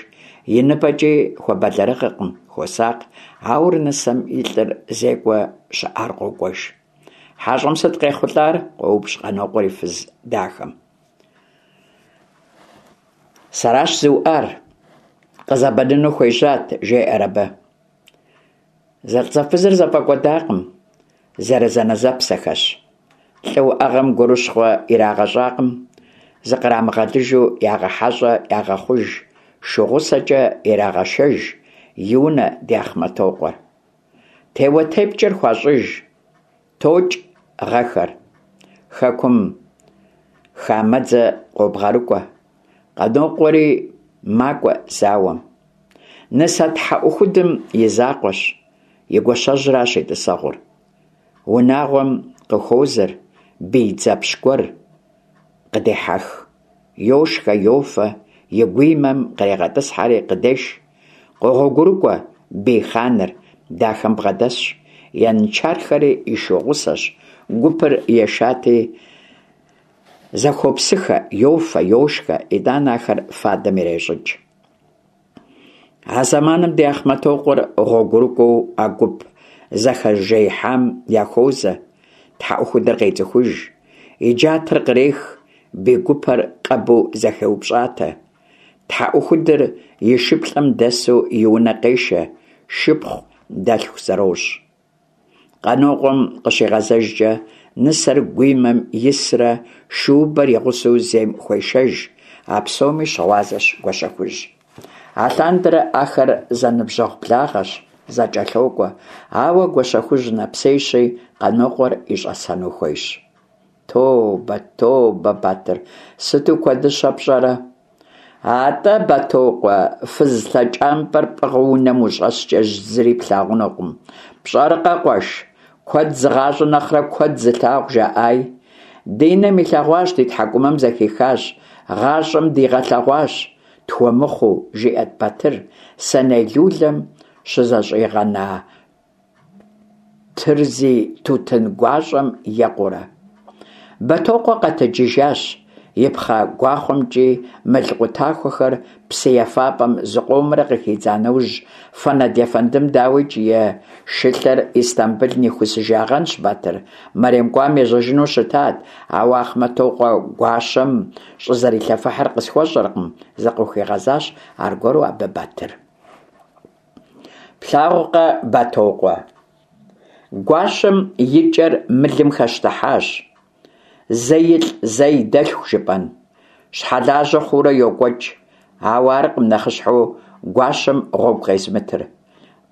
и ныбэкӏи хуэбэлэрыгъыркъым, хуосакъ. Ауэрэ нысэм и лӏыр зекӏуэ щыӏар къокӏуэж. Хьэщӏэм сыт къехъулӏар? – къоупщӏ Къанокъуэр и фыз дахэм. Сэращ зыуӏар, къызэбэныну хуежьат, – жеӏэр абы. Зэлӏзэфызыр зэфӏэкӏуэдакъым, зэрызэнэзэпсэхэщ. Лӏы уӏэгъэм гурыщхъуэ ирагъэщӏакъым, зыкърамыгъэлыжу ягъэхьэщӏэ, ягъэхъуж, шу гъусэкӏэ ирагъэшэж и унэ ди Ахъмэтокъуэр. Теуэ-тепкӏэр хуащӏыж. Токӏ гъэхэр. Хэкум хамэдзэ къобгъэрыкӏуэ. Къанокъуэри макӏуэ зауэм. Нысэ тхьэӏухудым и закъуэщ, и гуащэжьращ и тӏысэгъур. Унагъуэм къыхуозэр бий дзэпщ гуэр, къыдехьэх. Йошхэ, йофэ, и гуимэм кърегъэтӏысхьэри къыдеш. Къогъуэгурыкӏуэ бий хъаныр, дахэм бгъэдэсщ, янычархэри и шу гъусэщ, гупыр ешати, зэхуопсыхэ, йофэ, йошхэ, итӏанэ ахэр фадэм ирещӏыкӏ. А зэманым ди Ахъмэтокъуэр гъуэгурыкӏуэу а гуп зэхэжеихьам яхуозэ. Тхьэӏухудыр къецӏыхуж, и джатэр кърех, бий гупэр къэбу зэхеупщӏатэ. Тхьэӏухудыр и шыплӏэм дэсу и унэ къешэ, шыпхъу дэлъху зэрощӏ. Къанокъуэм къыщигъэзэжкӏэ, нысэр гуимэм исрэ шуубэр и гъусэу зейм хуешэж. А псоми щыгъуазэщ Гуащэхужь. Алъандэрэ ахэр зэныбжьэгъу благъэщ, зэкӏэлъокӏуэ, ауэ Гуащэхужь нэпсейщи, Къанокъуэр и щӏэсэну хуейщ. Тобэ, тобэ, Батыр, сыту куэдыщэ пщӏэрэ? Атӏэ, Бэтокъуэ, фыз лъэкӏампӏэр пӏыгъыу унэм ущӏэскӏэ зыри плъагъунукъым. Пщӏэркъэ, къуэш, куэд зыгъащӏэ нэхърэ куэд зылъагъу жаӏай. Ди нэм илъэгъуащ, ди тхьэкӏумэм зэхихащ, гъащӏэм дигъэлъэгъуащ, тхуэмыхъуу, жиӏэрт Батыр, сэней лулэм щызэщӏигъэна тырзи тутын гуащӏэм екъуурэ. Бэтокъуэ къэтэджыжащ, и пхъэ гуахъуэмкӏи мыл къутахуэхэр псы ефапӏэм зыкъомрэ къыхидза нэужь, Фэнэд ефэндым, дауикӏ, и шылъэр Истамбыл нихусыжагъэнщ, Батыр. Мэрем кӏуам ежьэжыну щытат, ауэ Ахъмэтокъуэ гуащэм щӏызэрилъэфыхьыр къысхуэщӏэркъым, зыкъыхуигъэзащ аргуэру абы Батыр. Плъагъуркъэ, Бэтокъуэ, гуащэм и кӏэр мылым хэщтыхьащ. Зэ илӏ, зэ и дэлъху жыпӏэн. Щхьэлажьэ хъуурэ йокӏуэкӏ, ауэ аркъым нэхъыщхьэу гуащэм гъуэгу къезымытыр.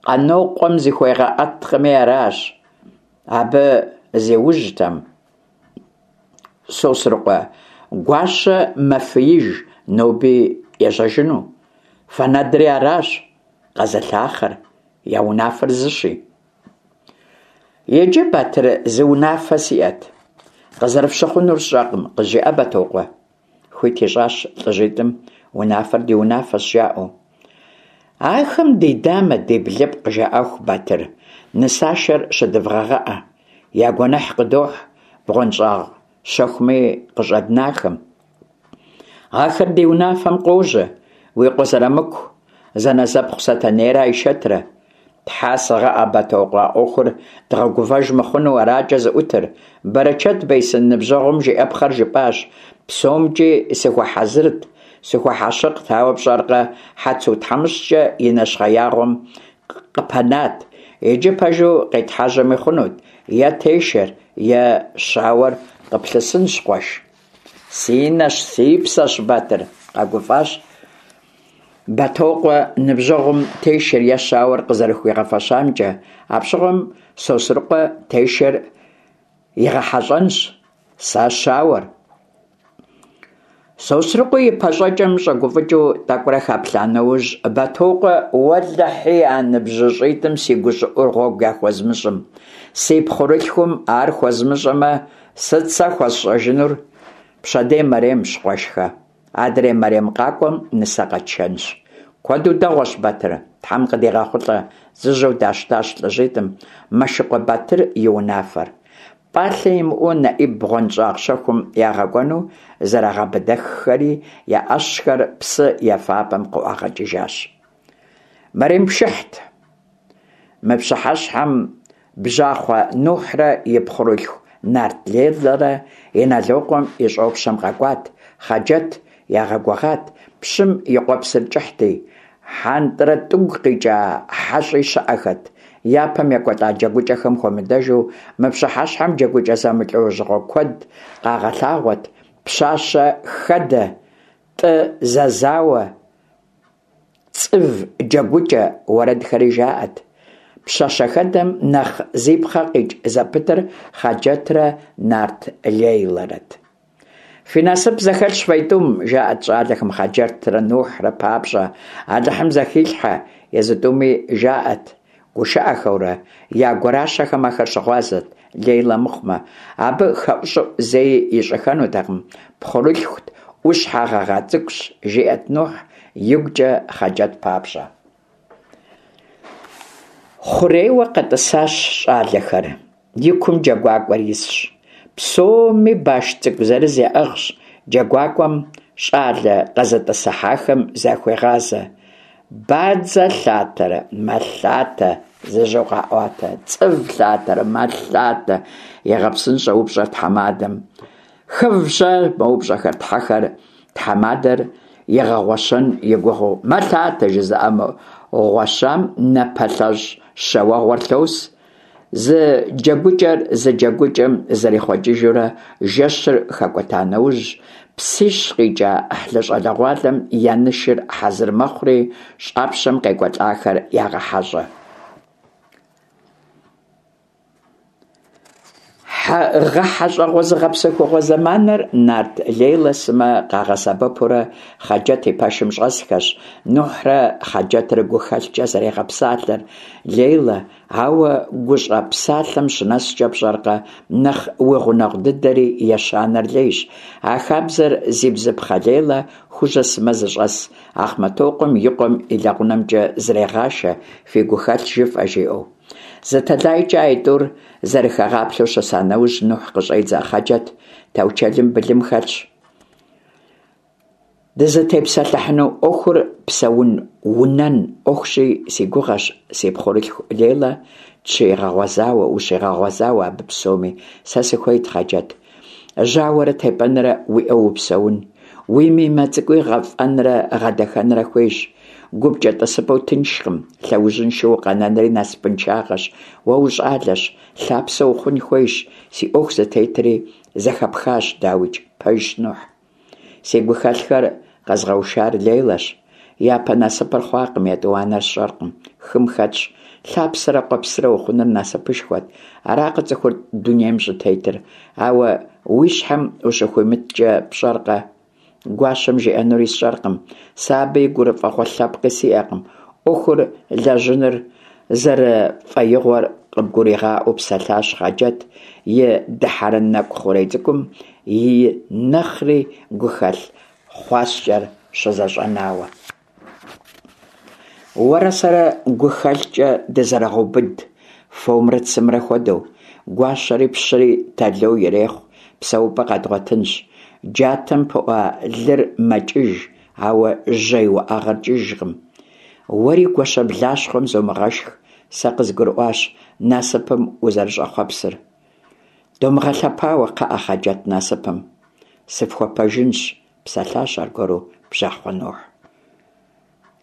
Къанокъуэм зыхуегъэӏэткъыми аращ. Абы зиужьтэм, Сосрыкъуэ гуащэ мэфииж ноби ежьэжыну. Фэнэдри аращ къэзылъахъэр, я унафэр зыщи. Иджы, Батыр, зы унафэ сиӏэт. Къызэрыфщыхъунур сщӏэкъым, къызжеӏэ, Бэтокъуэ. Хуит ищӏащ лӏыжьитӏым, унафэр ди унафэщ, жаӏэу. Ахэм ди дамэ, ди блыпкъ жаӏэху, Батыр, нысашэр щыдывгъэгъэӏэ. Я гуэныхь къыдохь бгъуэнщӏагъ щэхуми къыщӏэднахэм. Ахэр ди унафэм къожьэ, уи къуэ Зырамыку, зэнэзэпхъу Сэтэнейрэ Айшэтрэ. Тхьэ сыгъыӏэ, Бэтокъуэ, а ӏуэхур дгъэгувэж мыхъуну аракӏэ зыӏутыр. Бэрэчэт бейсын, ныбжьэгъум жиӏэпхъэр жыпӏащ. ПсомкӀи сыхуэхьэзырт, сыхуэхьэщыкът, ауэ пщӏэркъэ, Хьэцу тхьэмыщкӏэ и нэщхъеягъуэм къыпэнат. Иджы пэжу къетхьэжьэми хъунут, е тешэр, е щауэр къыплъысынщ, къуэш. Си нэщ, си псэщ, Батыр, къэгуфӏащ Бэтокъуэ ныбжьэгъум тешэр е щауэр къызэрыхуигъэфэщамкӏэ. Апщыгъуэм Сосрыкъуэ тешэр игъэхьэщӏэнщ, сэ щауэр. Сосрыкъуи и пащӏэкӏэм щӏэгуфӏыкӏыу тӏэкӏурэ хэплъа нэужь, Бэтокъуэ, уэлэхьи, а ныбжьыщӏитӏым си гущӏыӏур гъуэгу яхуэзмыщӏым. Си пхъурылъхум ар хуэзмыщӏэмэ, сыт сэ хуэсщӏэжынур? Пщэдей мэремщ, къуэшхэ. Адрей мэрем къакӏуэм нысэ къэтшэнщ. Куэду дэгъуэщ, Батыр, Тхьэм къыдигъэхъулӏэ, зыжьэу дащтащ лӀыжьитӀым Мэшыкъуэ Батыр и унафэр. ПӀалъэ имыӀэу НэӀиб бгъуэнщӀагъ щэхум ягъэкӀуэну зэрыгъэбыдэххэри, я Ӏэщхэр псы ефапӀэм къыӀуагъэкӀыжащ. Мэрем пшыхьт. Мы пщыхьэщхьэм бжьахъуэ Нухьрэ и пхъурылъху нарт Лейлэрэ Инэлокъуэм и щӀопщэм къэкӀуат, Хъаджэт ягъэгугъат, пщым и къуэпсыр кӀыхьти, ХьэнтӀрэтӀыгу къикӀа хьэщӀи щыӀэхэт. Япэм екӀуэкӀа джэгукӀэхэм хуэмыдэжу, мы пщыхьэщхьэм джэгукӀэ зэмылӀэужьыгъуэ куэд къагъэлъагъуэт: пщащэ хэдэ, тӀы зэзауэ, цӀыв джэгукӀэ, уэрэдхэри жаӀэт. Пщащэхэдэм нэхъ зи пхъэ къикӀ зэпытыр Хъаджэтрэ нарт Лейлэрэт. Фи насып зэхэлъщ фэитӀум, жаӀэт щӀалэхэм Хъаджэтрэ Нухьрэ папщӀэ, Алыхьым зэхилъхьэ, езы тӀуми жаӀэт гушыӀэхэурэ, я гуращэхэм ахэр щыгъуазэт, Лейлэ мыхъумэ. Абы хэӀущӀыӀу зэи ищӀыххэнутэкъым, пхъурылъхут, Ӏущхьэ гъэгъа цӀыкӀущ, жиӀэт Нухь игукӀэ Хъаджэт папщӀэ. Хъурейуэ къэтӀысащ щӀалэхэр, и кум джэгуакӀуэр исщ. Псоми баш цӀыкӀу зырыз яӀыгъщ. ДжэгуакӀуэм щӀалэ къэзытӀысыхьахэм захуегъазэ: «Бадзэ лъатэрэ? Мэлъатэ!» зыжьэу къаӀуатэ. «ЦӀыв лъатэрэ? Мэлъатэ!» егъэпсынщӀэ упщӀэр тхьэмадэм. «Хыв-щэ?» мэупщӀэхэр тхьэхэр, тхьэмадэр игъэгъуэщэн и гугъэу. «Мэлъатэ!» жызыӀэ гъуэщам напэлъэщӀ щэ уэгъуэр лъос. Зы джэгукӀэр зы джэгукӀэм зэрихъуэкӀыжурэ, жэщыр хэкӀуэта нэужь, псищ къикӀа Ӏыхьлы щӀалэгъуалэм я нышыр хьэзыр мэхъури, щӀапщэм къекӀуэлӀахэр ягъэхьэщӀэ. ГъэхьэщӀэгъуэ зыгъэпсэхугъуэ зэманыр нарт Лейлэ сымэ къагъэсэбэпурэ Хъаджэт и пэшым щӀэсхэщ. Нухьрэ Хъаджэтрэ гухэлъкӀэ зэрегъэпсалъэр Лейлэ, ауэ гущӀэ псалъэм щынэскӀэ, пщӀэркъэ, нэхъ уи гъунэгъу дыдэри ещанэр лейщ. А хабзэр зи бзыпхъэ Лейлэ Хужьэ сымэ зыщӀэс Ахъмэтокъуэм и къуэм и лэгъунэмкӀэ зрегъашэ, фи гухэлъ жыфӀэ, жиӀэу. Зы тэлайкӀэ аитӀур зэрыхэгъаплъэу щыса нэужь, Нухь къыщӀедзэ: Хъаджэт, таучэлым былым хэлъщ. Дызытепсэлъыхьыну Ӏуэхур псэун-унэн Ӏуэхущи, си гугъэщ си пхъурылъху Лейлэ тщигъэгъуэзауэ, ущигъэгъуэзауэ абы псоми. Сэ сыхуейт, Хъаджэт, жьауэрэ тепӀэнрэ уиӀэу упсэун. Уи мимэ цӀыкӀуи гъэфӀэнрэ гъэдэхэнрэ хуейщ. ГупкӀэ тӀысыпӀэу тыншкъым, лъэужьыншэу укъэнэнри насыпыншагъэщ. Уэ ущӀалэщ, лъапсэ ухъун хуейщ, си Ӏуэху зытетри зэхэпхащ, дауикӀ. Пэжщ, Нухь. Си гухэлъхэр къэзгъэушар Лейлэщ. Япэ насыпыр хъуакъым, етӀуанэр сщӀэркъым, хым хэтщ. Лъапсэрэ къуэпсрэ ухъуныр насыпышхуэт. Аракъэ цӀыхур дунейм щӀытетыр? Ауэ уи щхьэм ущыхуимыткӀэ, пщӀэркъэ? Гуащэм жиӀэнури сщӀэркъым. Сэ абы и гурыфӀыгъуэ лъэпкъи сиӀэкъым. Ӏуэхур лэжьыныр зэрыфӀэигъуэр къыбгуригъаӀуэу псэлъащ Хъаджэт, и дыхьэрэн нэкӀу хъурей цӀыкӀум и нэхъри гухэлъ хъуаскӀэр щызэщӀэнауэ. Уэрэ сэрэ гухэлъкӀэ дызэрогъэубыд, фомрэ цымрэ хуэдэу. Гуащэри пщыри тэло ирехъу, псэупӀэ къэдгъуэтынщ. Джатэм пыӀуа лыр мэкӀыж, ауэ жьей уӀэгъэр кӀыжкъым. Уэри гуащэблащхъуэм зомыгъэшх, сэ къызгурыӀуащ насыпым узэрыщӀэхъуэпсыр. Домыгъэлъэпауэ, кхъыӀэ, Хъаджэт, насыпым. Сыфхуэпэжынщ, псэлъащ аргуэру бжьахъуэ Нухь.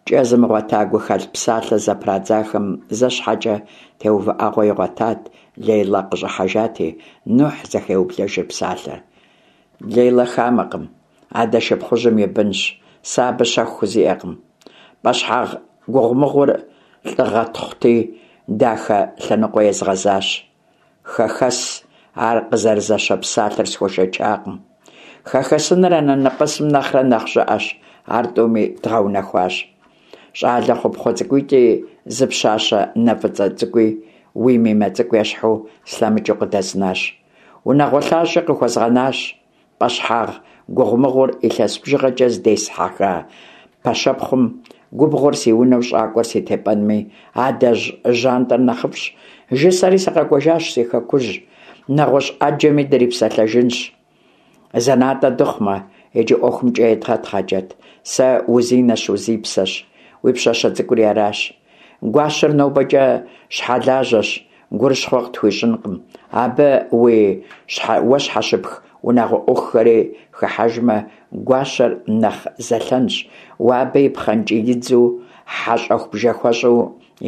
КӀэ зымыгъуэта гухэлъ псалъэ зэпрадзахэм зэ щхьэкӀэ теувыӀэгъуэ игъуэтат, Лейлэ къыщӀыхьэжати, Нухь зэхеублэжыр псалъэр. Лейлэ хамэкъым, адэ шыпхъужьым и бынщ, сэ абы щэху хузиӀэкъым. ПӀэщхьагъ гугъумыгъур лӀыгъэтхъути, дахэ лъэныкъуэ езгъэзащ. Хэхэс ар къызэрызэщэ псалъэр схуэшэчакъым. Хэхэсыныр анэнэпӀэсым нэхърэ нэхъ щӀыӀэщ, ар тӀуми дгъэунэхуащ. ЩӀалэ хъупхъэ цӀыкӀуитӀи зы пщащэ нэ фӀыцӀэ цӀыкӀуи уи мимэ цӀыкӀу ещхьу слъэмыкӀыу къыдэзнащ. Унагъуэ лъащӀи къыхуэзгъэнащ. ПӀэщхьагъ гугъумыгъур илъэс бжыгъэкӀэ зыдесхьэха пэщэпхъум Губгъуэр си унэу, щӀакӀуэр си тепӀэнми, адэжь жьантӀэр нэхъыфӀщ, жысӀэри сыкъэкӀуэжащ си хэкужь. НэгъуэщӀ Ӏэджэми дрипсэлъэжынщ, зэнатӀэ дыхъумэ. Иджы Ӏуэхум кӀэ етгъэт, Хъаджэт. Сэ узинэщ, узипсэщ, уи пщащэ цӀыкӀури аращ. Гуащэр нобэкӀэ щхьэлажьэщ, гурыщхъуэ къытхуищӀынкъым. Абы уи уэ щхьэщыпх унагъуэ Ӏуэхухэри хыхьэжмэ, гуащэр нэхъ зэлъэнщ. Уэ абы и пхъэнкӀиидзу, хьэщӀэху-бжэхуэщӀу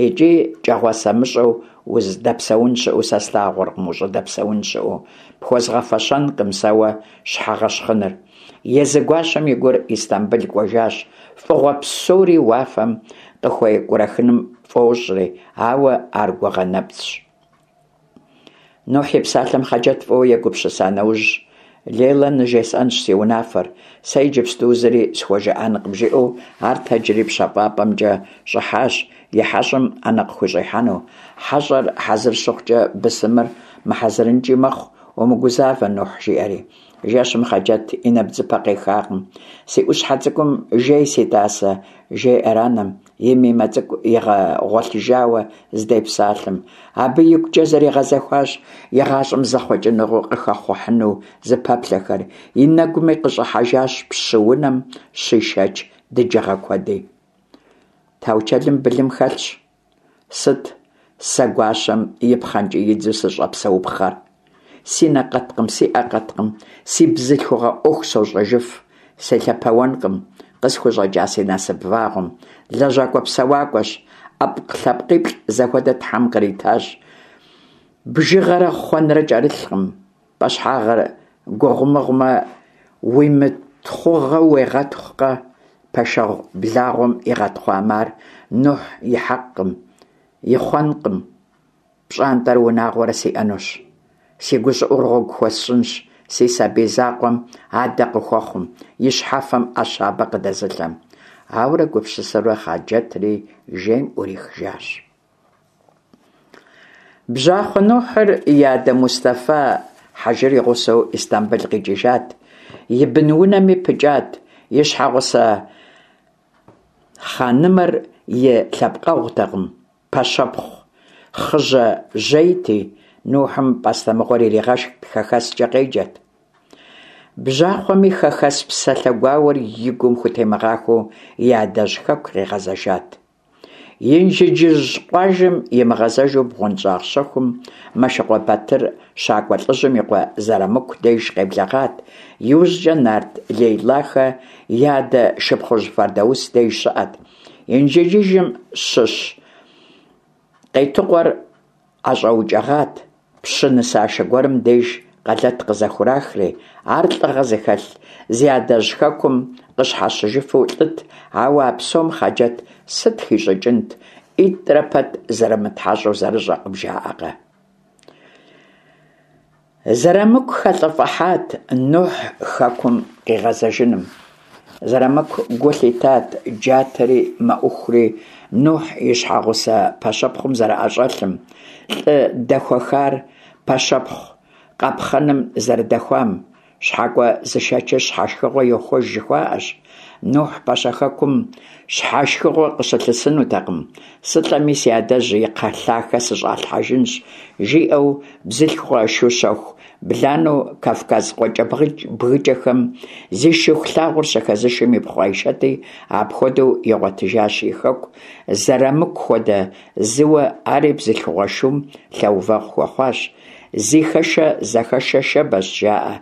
икӀи кӀэгъуасэмыщӀэу узыдэпсэун щыӀэу сэ слъагъуркъым, ущӀыдэпсэун щыӀэу. Пхуэзгъэфэщэнкъым сэ уэ щхьэгъэщхъыныр. Езы гуащэм и гур Истамбыл кӀуэжащ, фӀыгъуэ псори уафэм къыхуекӀурэхыным фӀощӀри, ауэ ар гугъэ нэпцӀщ. Нухь и псалъэм Хъаджэт фӀыуэ егупсыса нэужь, Лейла ныжесӀэнщ си унафэр, сэ иджыпсту зыри схуэжыӀэнкъым, жиӀэу ар тэджри пщэфӀапӀэмкӀэ щӀыхьащ, и хьэщӀэм Ӏэнэ къыхущӀихьэну. ХьэщӀэр хьэзыр щыхъукӀэ бысымыр мыхьэзырынкӀи мэхъу, умыгузавэ, Нухь, жиӀэри. Жэщым Хъаджэт и нэбдзыпэ къехакъым. Си Ӏущхьэ цӀыкӀум жей, си тӀасэ, жеӀэр анэм, и мимэ цӀыкӀу игъэгъуэлъыжауэ здепсалъэм. Абы игукӀэ зэригъэзэхуащ и гъащӀэм зэхъуэкӀыныгъэу къыхэхъухьыну зыпэплъэхэр, и нэгуми къыщӀыхьэжащ пщы унэм щишэч дыджыгъэ куэди. Таучэлым былым хэлъщ. Сыт сэ гуащэм и пхъэнкӀиидзу сыщӀэпсэупхъэр? Си нэ къэткъым, си Ӏэ къэткъым, си бзылъхугъэ Ӏуэху сощӀэжыф, селъэпэуэнкъым къысхущӀэкӀа си насып вагъуэм. ЛэжьакӀуэ-псэуакӀуэщ, ӀэпкълъэпкъиплӀ зэхуэдэ Тхьэм къритащ. Бжыгъэрэ хъуэнрэ кӀэрылъкъым, пӀэщхьагъыр гугъумыгъумэ, уимытхъугъэу уегъэтхъукъэ? Пэшэгъу благъуэм игъэтхъуамэ, ар Нухь и хьэкъкъым, и хъуэнкъым. ПщӀантӀэрэ унагъуэрэ сиӀэнущ. Си гущӀыӀур гъуэгу хуэсщӀынщ си сабий закъуэм адэ къыхуэхъум, и щхьэфэм Ӏэ щабэ къыдэзылъэм. Ауэрэ гупсысэурэ Хъаджэтри жейм Ӏурихыжащ. Бжьахъуэ Нухьыр и адэ Мустэфа хьэжыр и гъусэу Истамбыл къикӀыжат, и бынунэми пыкӀат, и щхьэгъусэ хъанымэр и лъэпкъэгъутэкъым, пэщэпхъу хъыжьэ жьейти, Нухьым пӀастэмыгъуэр иригъэшхт, хэхэскӀэ къеджэт. Бжьахъуэми хэхэс псалъэ гуауэр и гум хутемыгъахуэу и адэжь хэку къигъэзэжат. Инжыджыжь къуажэм имыгъэзэжу бгъуэнщӀагъ щэхум Мэшыкъуэ Батыр щакӀуэ лӀыжьым и къуэ Зэрамыку деж къеблэгъат, иужькӀэ нарт Лейлахэ я адэ шыпхъужь Фэрдаус деж щыӀэт. Инжыджыжьым щыщ Къетыкъуэр ӀэщӀэукӀэгъат, пщы нысашэ гуэрым деж къэлэт къызэхурахри, ар лӀыгъэ зыхэлъ, зи адэжь хэкум къыщхьэщыжыфу лӀыт, ауэ а псом Хъаджэт сыт хищӀыкӀынт, ӀитӀрэ пэт зэрымытхьэщӀу зэрыщӀэкъым, жаӀэкъэ? Зэрамыку хэлӀыфӀыхьат Нухь хэкум къигъэзэжыным. Зэрамыку гу лъитат джатэри мэӀухури Нухь и щхьэгъусэ пэщэпхъум зэрыӀэщӀэлъым, лӀы дэхуэхар пэщэпхъу къапхъэным зэрыдэхуам. ЩхьэкӀуэ зышэчыр щхьэшхыгъуэ йохуэж жыхуаӀэщ. Нухь пэщэхэкум щхьэшхыгъуэ къыщылъысынутэкъым. «СылӀэми си адэжь и кхъэлъахэ сыщӀалъхьэжынщ», жиӀэу бзылъхугъэ шущэху бланэу Кавказ къуакӀэбгыкӀэхэм зи шыху лъагъуэр щыхэзышым ипхъу Айшэти апхуэдэу игъуэтыжащ и хэку, Зэрамыку хуэдэ зыуэ ари бзылъхугъэ шум лъэувэгъу хуэхъуащ. Зи хэшэ зэхэшэ шэбэщ, жаӀэ.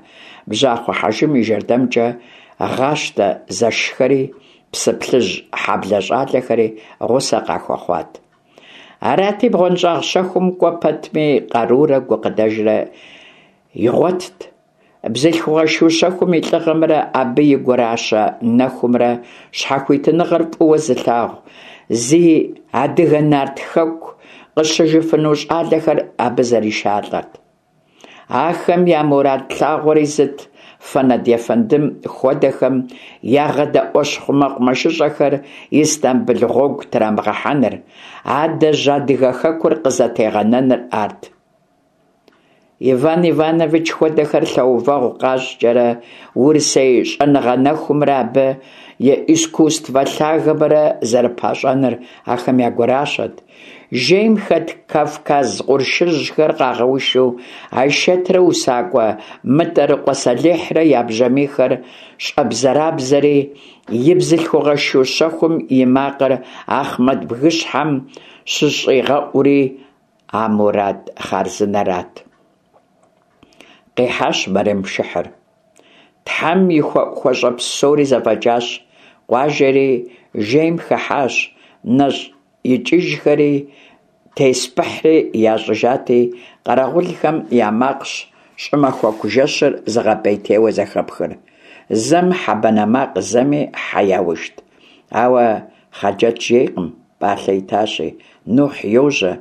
Бжьахъуэ хьэжым и жэрдэмкӀэ Гъащтэ зэшхэри, Псыплъыжь хьэблэ щӀалэхэри гъусэ къахуэхъуат. Арати, бгъуэнщӀагъ щэхум кӀуэ пэтми къарурэ гукъыдэжрэ игъуэтт. Бзылъхугъэ шу щэхум и лӀыгъэмрэ абы и гуращэ нэхумрэ щхьэхуитыныгъэр фӀыуэ зылъагъу, зи адыгэ нарт хэку къыщыжыфыну щӀалэхэр абы зэришалӀэрт. Ахэм я мурад лъагъуэри зыт: Фэнэд ефэндым хуэдэхэм ягъэдэӀуэщхъу мэкъумэшыщӀэхэр Истамбыл гъуэгу трамыгъэхьэныр, адэжь адыгэ хэкур къызэтегъэнэныр арт. Иван Иванович хуэдэхэр лъэувэгъу къащӏкӏэрэ, урысей щӏэныгъэ нэхумрэ абы и искусствэ лъагэмрэ зэрыпащӏэныр ахэм я гуращэт. Жейм хэт Кавказ къуршыжьхэр къагъэушу, Айшэтрэ усакӏуэ Мытӏэрыкъуэ Сэлихьрэ я бжьамийхэр щӏэбзэрабзэри, и бзылъхугъэ шу щэхум и макъыр Ахъмэт бгыщхьэм щыщӏигъэӏури а мурад хъарзынэрат. Къихьащ мэрем пшыхьыр. Тхьэм и хуэӏухуэщӏэ псори зэфӏэкӏащ, къуажэри жейм хыхьащ, нэщӏ икӏыжхэри теспыхьри ящӏыжати, къэрэгъулхэм я макъщ щӏымахуэку жэщыр зыгъэпӏейтейуэ зэхэпхыр. Зэм хьэ банэ макъ, зэми хьэ яушт. Ауэ Хъаджэт жейкъым, пӏалъэ итащи, Нухь йожьэ.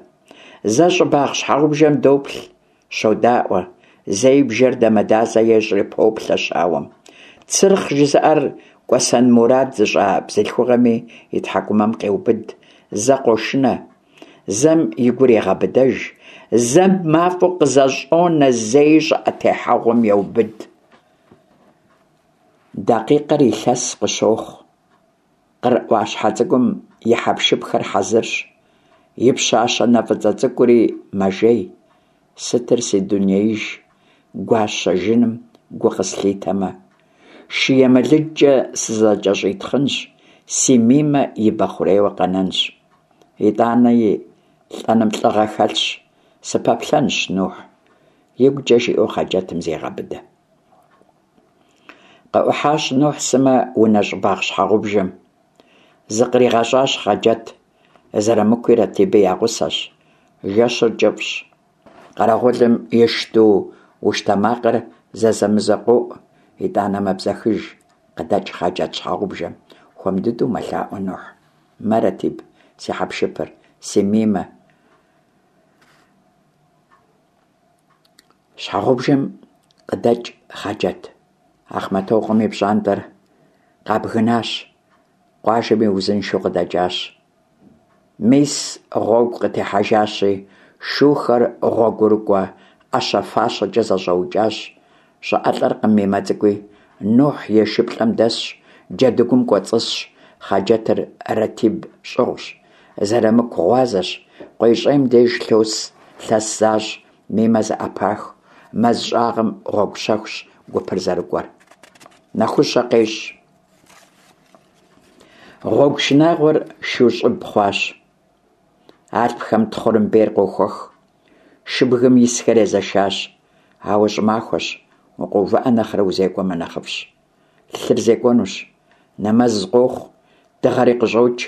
Зэ щӏыбагъ щхьэгъубжэм доплъ, щодаӏуэ, зэи бжэр дамэдазэ ещӏри поплъэ щауэм. Цырхъ жызыӏэр кӏуэсэн мурад зыщӏа бзылъхугъэми и тхьэкӏумэм къеубыд, зэ къошынэ, зэм и гур егъэбыдэж, зэм мафӏэу къызэщӏонэ, зэи щӏыӏэ техьэгъуэм еубыд. Дакъикъэр илъэс къыщохъу. Къыр ӏуащхьэ цӏыкӏум и хьэпшыпхэр хьэзырщ, и пщащэ нэ фӏыцӏэ цӏыкӏури мэжей. Сытыр си дунеиж, гуащэ жыным гу къыслъитэмэ, шы емылыджкӏэ сызэкӏэщӏитхъынщ, си Мимэ и бэ хъурейуэ къэнэнщ. Итӏани лӏэным лӏыгъэ хэлъщ, сыпэплъэнщ Нухь, игукӏэ жиӏэу Хъаджэтым зегъэбыдэ. Къыӏухьащ Нухь сымэ унэ щӏыбагъ щхьэгъубжэм. Зыкъригъэщӏащ Хъаджэт, Зэрамыкуи Ратиби я гъусэщ. Жэщыр кӏыфӏщ. Къэрэгъулым и шыду уштэ макъыр зэзэмызэ къоӏу, итӏанэ мэбзэхыж. Къыдэкӏ Хъаджэт щхьэгъубжэм. Хуэм дыдэу мэлъаӏуэ Нухь. Мэ, Ратиб, си хьэпшыпыр, си Мимэ. Щхьэгъубжэм къыдэкӏ Хъаджэт. Ахъмэтокъуэм и пщӏантӏэр къабгынащ, къуажэми узыншэу къыдэкӏащ. Мис гъуэгу къытехьэжащи, шухэр гъуэгурыкӏуэ ӏэщэ-фащэкӏэ зэщӏэукӏащ. Щӏыӏэлӏэркъым Мимэ цӏыкӏуи, Нухь и шыплӏэм дэсщ, джэдыгум кӏуэцӏысщ, Хъаджэтыр Ратиб щӏыгъущ, Зэрамыку гъуазэщ, къуейщӏейм деж лъос лъэс защӏ, Мимэ зэӏэпах, мэз щӏагъым гъуэгу щэхущ гупыр зэрыкӏуэр. Нэхущэ къещӏ. Гъуэгу шынагъуэр шу щӏыб хъуащ. Алъпхэм тхъурымбейр къохуэх. Шыбгым исхэр езэшащ. Ауэ щӏымахуэщ, укъэувыӏэ нэхърэ узекӏуэмэ нэхъыфӏщ. Лъыр зекӏуэнущ. Нэмэз къохъу, дыгъэри къыщӏокӏ.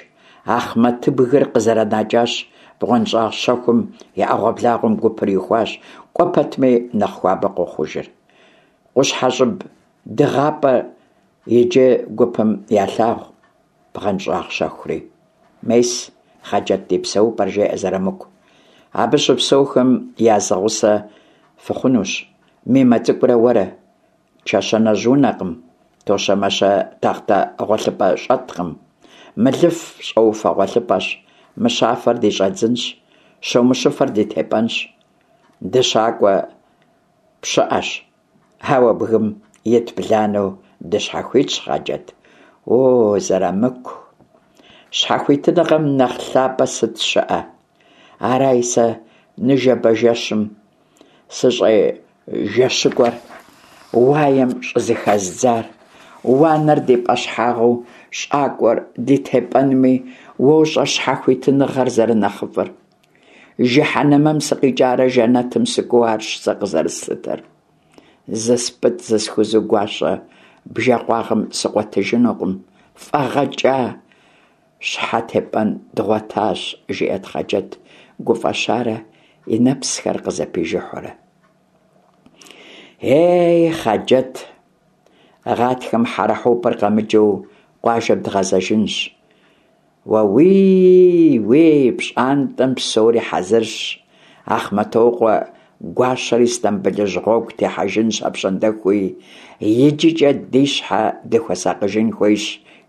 Ахъмэтыбгыр къызэранэкӏащ, бгъуэнщӏагъ щэхум и ӏэгъуэблагъуэм гупыр ихуащ, кӏуэ пэтми нэхъ хуабэ къохъужыр. Къущхьэщӏыб дыгъапӏэр иджы гупым ялъагъу, бгъуэнщӏагъ щэхури. Мес, Хъаджэт ди псэупӏэр, жеӏэ Зэрамыку. Абы щыпсэухэм я зы гъусэ фыхъунущ, Мимэ цӏыкӏурэ уэрэ. Чэщанэжь унэкъым, тощэмащэ тахътэ гъуэлъыпӏэ щӏэткъым. Мылыф щӏэуфэ гъуэлъыпӏэщ, мыщафэр ди щӏэдзынщ, щомыщыфэр ди тепӏэнщ. Дыщакӏуэ пщыӏэщ, ауэ бгым ит бланэу дыщхьэхуитщ, Хъаджэт. О, Зэрамыку, щхьэхуитыныгъэм нэхъ лъапӏэ сыт щыӏэ? Араи сэ ныжэбэ жэщым сыщӏежэщыкӏуэр, уаем щӏызыхэздзар. Уанэр ди пӏэщхьагъыу, щӏакӏуэр ди тепӏэнми, уощӏэ щхьэхуитыныгъэр зэрынэхъыфӏыр. Жыхьэнэмэм сыкъикӏарэ жэнэтым сыкӏуэу арщ сэ къызэрыслъытэр. Зыспӏытӏ-зысхузу гуащэ бжэкъуагъым сыкъуэтыжынукъым, фӏэгъэкӏа щхьэ тепӏэн дгъуэтащ, жиӏэрт Хъаджэт гуфӏэщарэ и нэпсхэр къызэпижыхьурэ. Ей, Хъаджэт, гъатхэм хьэрэхьупыр къэмыкӏыу къуажэм дгъэзэжынщ. Уэуий, уей, пщӏантӏэм псори хьэзырщ. Ахъмэтокъуэ гуащэр Истамбылыжь гъуэгу техьэжынщ апщӏондэхуи, иджыкӏэ ди щхьэ дыхуэсакъыжын хуейщ,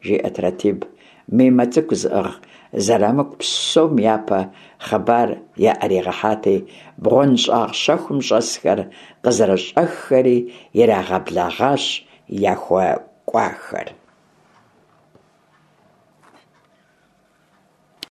жиӏэрт Ратиб, Мимэ цӏыкӏу зыӏыгъ Зэрамыку псом япэ хъыбар яӏэригъэхьати, бгъуэнщӀагъ щэхум щӀэсхэр къызэрыщӀэххэри ирагъэблэгъащ яхуэкӀуахэр.